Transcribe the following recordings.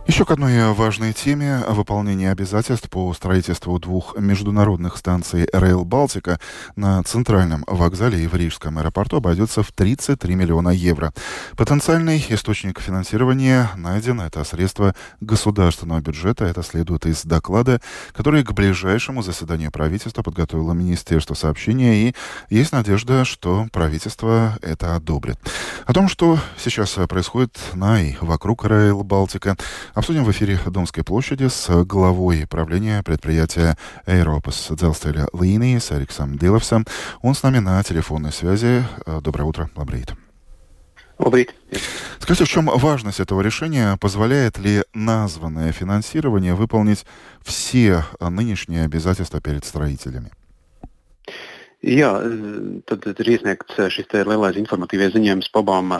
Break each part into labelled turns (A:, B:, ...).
A: Еще к одной важной теме. Выполнение обязательств по строительству двух международных станций Rail Балтика на центральном вокзале и в Рижском аэропорту обойдется в 33 миллиона евро. Потенциальный источник финансирования найден. Это средства государственного бюджета. Это следует из доклада, который к ближайшему заседанию правительства подготовило Министерство сообщения. И есть надежда, что правительство это одобрит. О том, что сейчас происходит на и вокруг Rail Балтика, обсудим в эфире Домской площади с главой правления предприятия Eiropas dzelzceļa līnijas Эриксом Диловсом. Он с нами на телефонной связи. Доброе утро, Лабрит.
B: Labrīt.
A: Скажите, в чем важность этого решения? Позволяет ли названное финансирование выполнить все нынешние обязательства перед строителями?
B: Jā, tad ir iesniegts šis te lielais informatīvais ziņojums par abām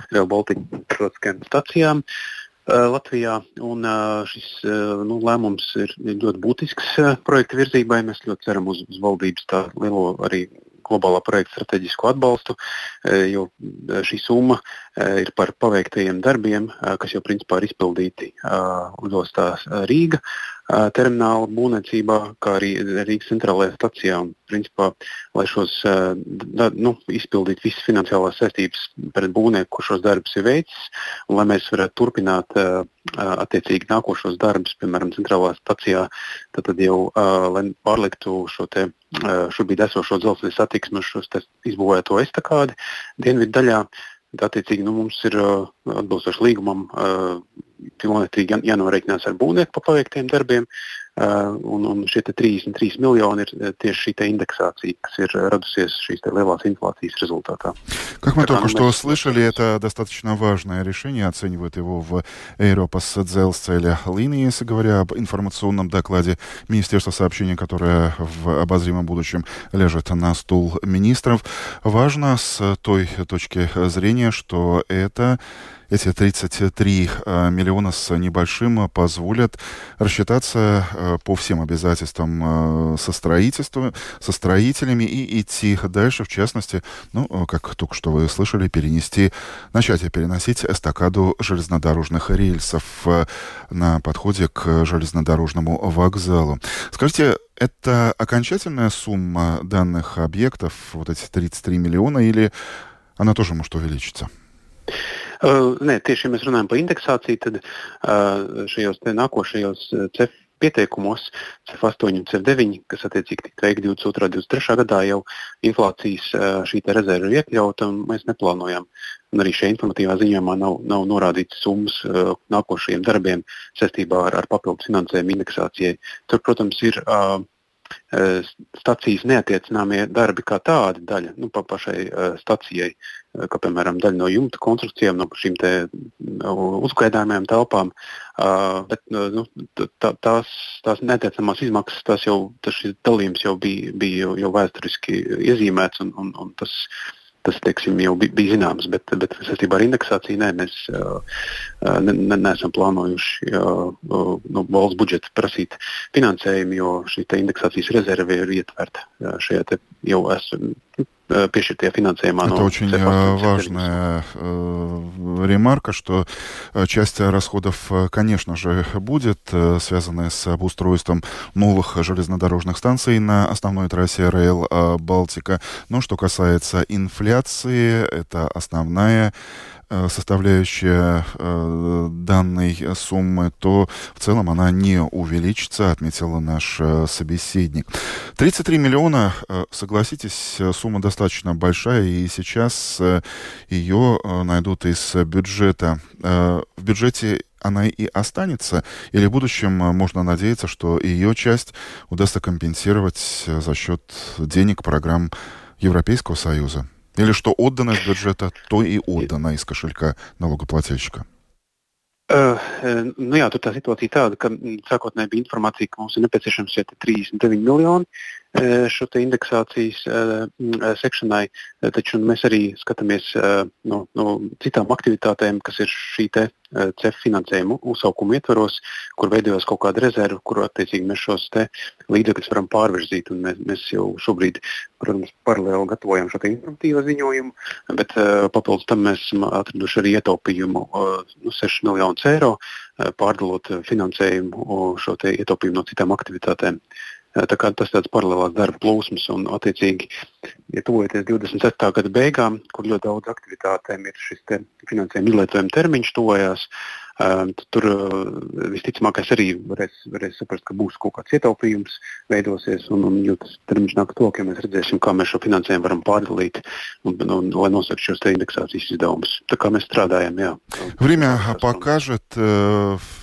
B: Rail Baltica starptautiskajām stacijām Latvijā. Un šis lēmums ir ļoti būtisks projekta virzībai. Mēs ļoti ceram uz valdības tā lielo arī globālā projekta strateģisko atbalstu, jo šī summa ir par paveiktajiem darbiem, kas jau principā ir izpildīti lidostā Rīga termināla būvniecībā, kā arī Rīgas centrālajā stacijā. Un, principā, lai šos izpildītu visas finansiālās saistības pret būvnieku, kurš šos darbus ir veicis, un lai mēs varētu turpināt attiecīgi nākošos darbus, piemēram, centrālajā stacijā, tad jau, lai pārliktu šo te šobrīd esošo dzelzceļa satiksmi uz šo izbūvēto estakādi dienvidu daļā. Attiecīgi, mums ir atbilstoši līgumam pilnvērtīgi jānorēķinās ar būvnieku par paveiktiem darbiem, un šie 33 miljoni ir tieši šī индексация, kas ir radusies šīs lielās инфляции результата.
A: Как мы только что слышали, это достаточно важное решение. Оценивают его в Eiropas dzelzceļa līnijas, говоря об информационном докладе Министерства сообщения, которое в обозримом будущем лежит на стул министров. Важно с той точки зрения, что эти 33 миллиона с небольшим позволят рассчитаться по всем обязательствам со строителями и идти дальше, в частности, как только что вы слышали, переносить эстакаду железнодорожных рельсов на подходе к железнодорожному вокзалу. Скажите, это окончательная сумма данных объектов, вот эти 33 миллиона, или она тоже может увеличиться?
B: Nē, tieši, ja mēs runājam par indeksāciju, tad šajos nākošajos CEF pieteikumos, CEF8 un CEF9, kas attiecīgi tika veikti 22. un 23. gadā, jau inflācijas šī te rezerve ir iekļauta, un mēs neplānojam. Un arī šajā informatīvā ziņojumā nav norādīts summas nākošajiem darbiem saistībā ar papildus finansējumu indeksācijai. Tur, protams, ir stacijas neatiecināmie darbi kā tādi daļa, pašai stacijai, kā piemēram daļa no jumta konstrukcijām, no šīm te uzgaidāmajām telpām, bet tās neatiecamās izmaksas, šis dalījums jau bija jau vēsturiski iezīmēts, un tas teiksim, jau bija zināms, bet saistībā ar indeksāciju mēs neesam plānojuši no valsts budžeta prasīt finansējumu, jo šī indeksācijas rezerve ir ietverta šajā te jau piešķirtajā финансирования.
A: Это очень важная ремарка, что часть расходов, конечно же, будет связана с обустройством новых железнодорожных станций на основной трассе Rail Балтика. Но что касается инфляции, это основная составляющая данной суммы, то в целом она не увеличится, отметил наш собеседник. 33 миллиона, согласитесь, сумма достаточно большая, и сейчас ее найдут из бюджета. В бюджете она и останется, или в будущем можно надеяться, что ее часть удастся компенсировать за счет денег программ Европейского Союза? Или что отдано из бюджета, то и отдано из кошелька налогоплательщика?
B: Jā, tur tā situācija tāda, ka sākotnēji bija informācija, ka mums ir nepieciešams šie 39 miljoni, šo te indeksācijas sekšanai, taču mēs arī skatāmies no citām aktivitātēm, kas ir šī te CEF finansējuma uzsaukuma ietvaros, kur veidojas kaut kāda rezerva, kur attiecīgi mēs šos te līdzekļus varam pārvirzīt. Un mēs jau šobrīd, protams, paralēli gatavojam šo te informatīvo ziņojumu, bet papildus tam mēs esam atraduši arī ietaupījumu 6 miljonus eiro, pārdalot finansējumu šo te ietaupījumu no citām aktivitātēm. Tā kā tas tāds paralēlās darba plūsmas un attiecīgi, ja tuvojoties 27. gada beigām, kur ļoti daudz aktivitātēm ir šis te finansējuma izlietojuma termiņš tuvojās, tur visticamākais arī varēs saprast, ka būs kaut kāds ietaupījums veidosies un jo tas termiņš nāk to, ka mēs redzēsim, kā mēs šo finansējumu varam pārdalīt un lai nosakt šos te indeksācijas izdevumus. Tā kā mēs strādājam, jā.
A: Время покажет.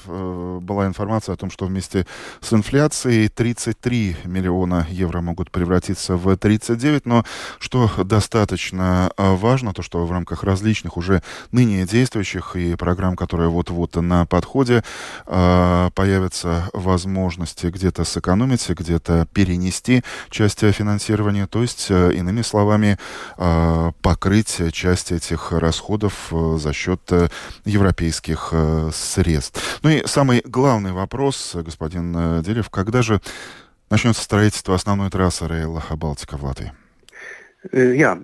A: Была информация о том, что вместе с инфляцией 33 миллиона евро могут превратиться в 39, но что достаточно важно, то что в рамках различных уже ныне действующих и программ, которые вот-вот на подходе, появятся возможности где-то сэкономить, где-то перенести часть финансирования, то есть, иными словами, покрыть часть этих расходов за счет европейских средств. Ну и самый главный вопрос, господин Дилев, когда же начнется строительство основной трассы Rail Baltica в Латвии?
B: Jā,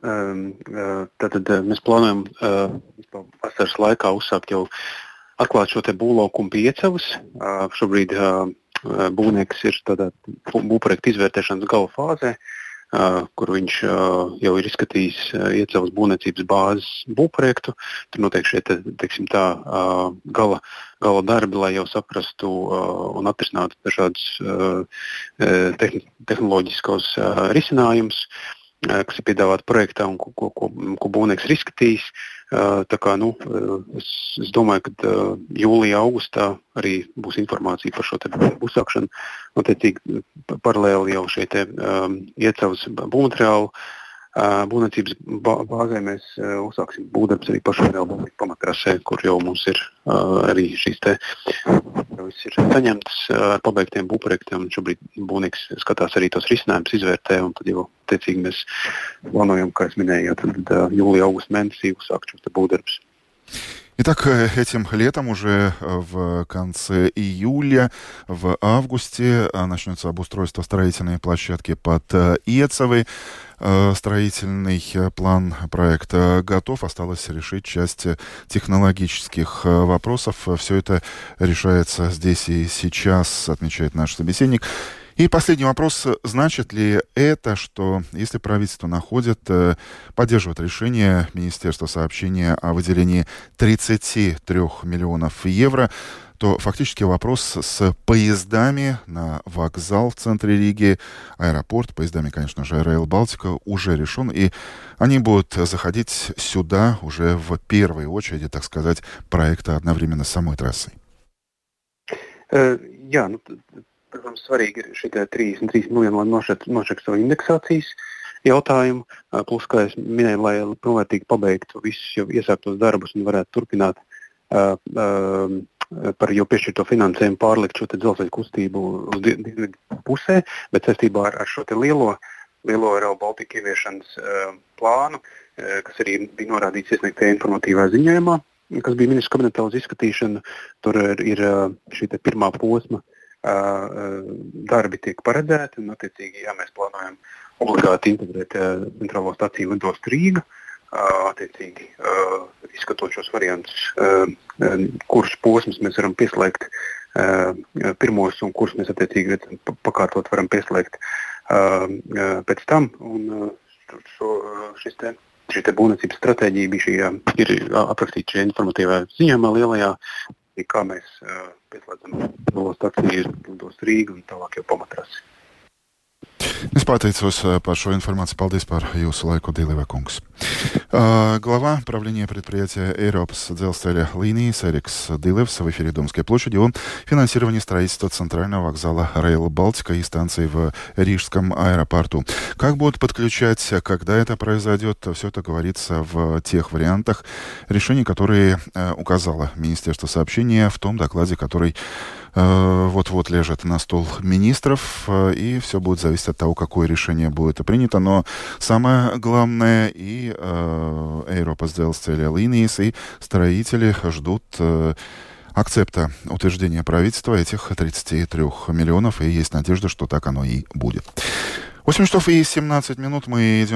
B: tātad mēs plānojam vasaras laikā uzsākt jau atklāt šo te būvlaukumu Piecavas. Šobrīd būvnieks ir tādā būvprojekta izvērtēšanas gala fāzē, kur viņš jau ir izskatījis Iecavas būvniecības bāzes būvprojektu. Tur notiek šie, teiksim tā, gala darbi, lai jau saprastu un atrisinātu dažādus tehnoloģiskos risinājumus, kas ir piedāvāti projektā un ko būvnieks ir izskatījis. Tā kā, es domāju, ka jūlijā, augustā arī būs informācija par šo te uzsākšanu. Attiecīgi paralēli jau šie te Iecavas būvmateriālu būvniecības bāzē mēs uzsāksim būvdarbs arī pašā Rail Baltica pamatrasē, kur jau mums ir arī šīs te viss ir saņemtas ar pabeigtiem būvprojektiem. Šobrīd būvnieks skatās arī tos risinājumus, izvērtē, un tad jau attiecīgi mēs plānojam, kā es minēju, tad jūlija, augusta mēnesī uzsākt šos te būvdarbs.
A: Итак, этим летом, уже в конце июля, в августе начнется обустройство строительной площадки под Иецавой. Строительный план проекта готов. Осталось решить часть технологических вопросов. Все это решается здесь и сейчас, отмечает наш собеседник. И последний вопрос. Значит ли это, что если правительство поддерживает решение Министерства сообщения о выделении 33 миллионов евро, то фактически вопрос с поездами на вокзал в центре Риги, аэропорт, поездами, конечно же, Rail Baltica уже решен, и они будут заходить сюда уже в первой очереди, так сказать, проекта одновременно с самой трассой?
B: Protams, svarīgi ir šī 33 miljoni, lai nošķirtu savu indeksācijas jautājumu, plus, kā es minēju, lai pilnvērtīgi pabeigtu visus jau iesāktos darbus un varētu turpināt par jau piešķirto finansējumu pārlikt šo te dzelzceļa kustību uz dienvidu pusē, bet saistībā ar šo te lielo Rail Baltica ieviešanas plānu, kas arī bija norādīts iesniegtajā informatīvā ziņojumā, kas bija ministru kabinetā uz izskatīšanu, tur ir šī te pirmā posma darbi tiek paredzēti, un attiecīgi, mēs plānojam obligāti integrēt centrālo staciju lidostu Rīga, attiecīgi izskatot šos variantus, kurus posmus mēs varam pieslēgt pirmos un kurus mēs attiecīgi pakārtot varam pieslēgt pēc tam, un šī te būvniecības stratēģija bija ir aprakstīta šajā informatīvā ziņojumā lielajā, kā mēs pieslēdzam staciju lidostu Rīgu un tālāk jau pamatrasi.
A: Es pateicos par šo informāciju. Paldies par jūsu laiku, Dīleva kungs. Глава правления предприятия Eiropas dzelzceļa līnijas Eriks Дилевс в эфире Домской площади о финансировании строительства центрального вокзала Rail Baltica и станции в Рижском аэропорту. Как будут подключать, когда это произойдет, все это говорится в тех вариантах решений, которые указало Министерство сообщения в том докладе, который вот-вот лежит на стол министров, и все будет зависеть от того, какое решение будет принято. Но самое главное, и Eiropas dzelzceļa линijas, и строители ждут акцепта утверждения правительства этих 33 миллионов, и есть надежда, что так оно и будет. 8 часов и 17 минут мы идем